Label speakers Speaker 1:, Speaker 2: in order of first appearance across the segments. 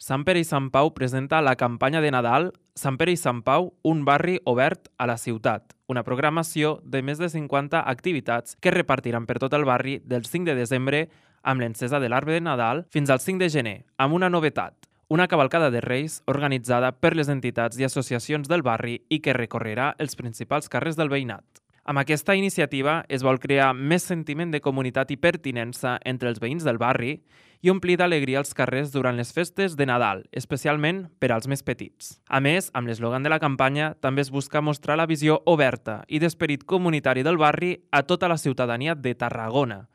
Speaker 1: Sant Pere i Sant Pau presenta la campanya de Nadal Sant Pere i Sant Pau, un barri obert a la ciutat, una programació de més de 50 activitats que es repartiran per tot el barri del 5 de desembre amb l'encesa de l'arbre de Nadal fins al 5 de gener, amb una novetat, una cavalcada de Reis organitzada per les entitats i associacions del barri i que recorrerà els principals carrers del veïnat. Amb aquesta iniciativa es vol crear més sentiment de comunitat i pertinença entre els veïns del barri i omplir d'alegria els carrers durant les festes de Nadal, especialment per als més petits. A més, amb l'eslògan de la campanya, també es busca mostrar la visió oberta i d'esperit comunitari del barri a tota la ciutadania de Tarragona.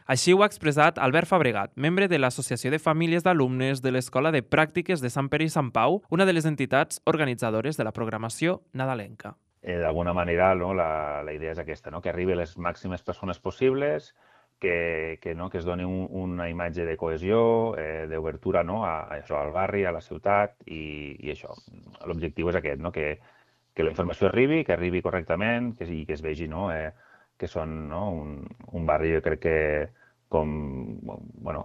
Speaker 1: Així ho ha expressat Albert Fabregat, membre de l'Associació de Famílies d'Alumnes de l'Escola de Pràctiques de Sant Pere i Sant Pau, una de les entitats organitzadores de la programació nadalenca.
Speaker 2: D'alguna manera, no, la idea és aquesta, no? Que arribi a les màximes persones possibles, que es doni una imatge de cohesió, d'obertura, no? a això, al barri, a la ciutat, i això. L'objectiu és aquest, no? Que la informació arribi, que arribi correctament i que es vegi, no? Que són, no? un barri, jo crec que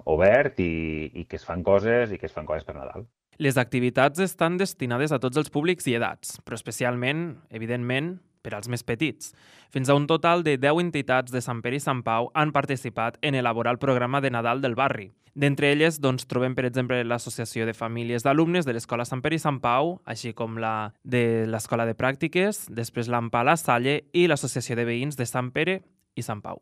Speaker 2: obert i que es fan coses per Nadal.
Speaker 1: Les activitats estan destinades a tots els públics i edats, però especialment, evidentment, per als més petits. Fins a un total de 10 entitats de Sant Pere i Sant Pau han participat en elaborar el programa de Nadal del barri. D'entre elles trobem, per exemple, l'Associació de Famílies d'Alumnes de l'Escola Sant Pere i Sant Pau, així com la de l'Escola de Pràctiques, després l'AMPA La Salle i l'Associació de Veïns de Sant Pere i Sant Pau.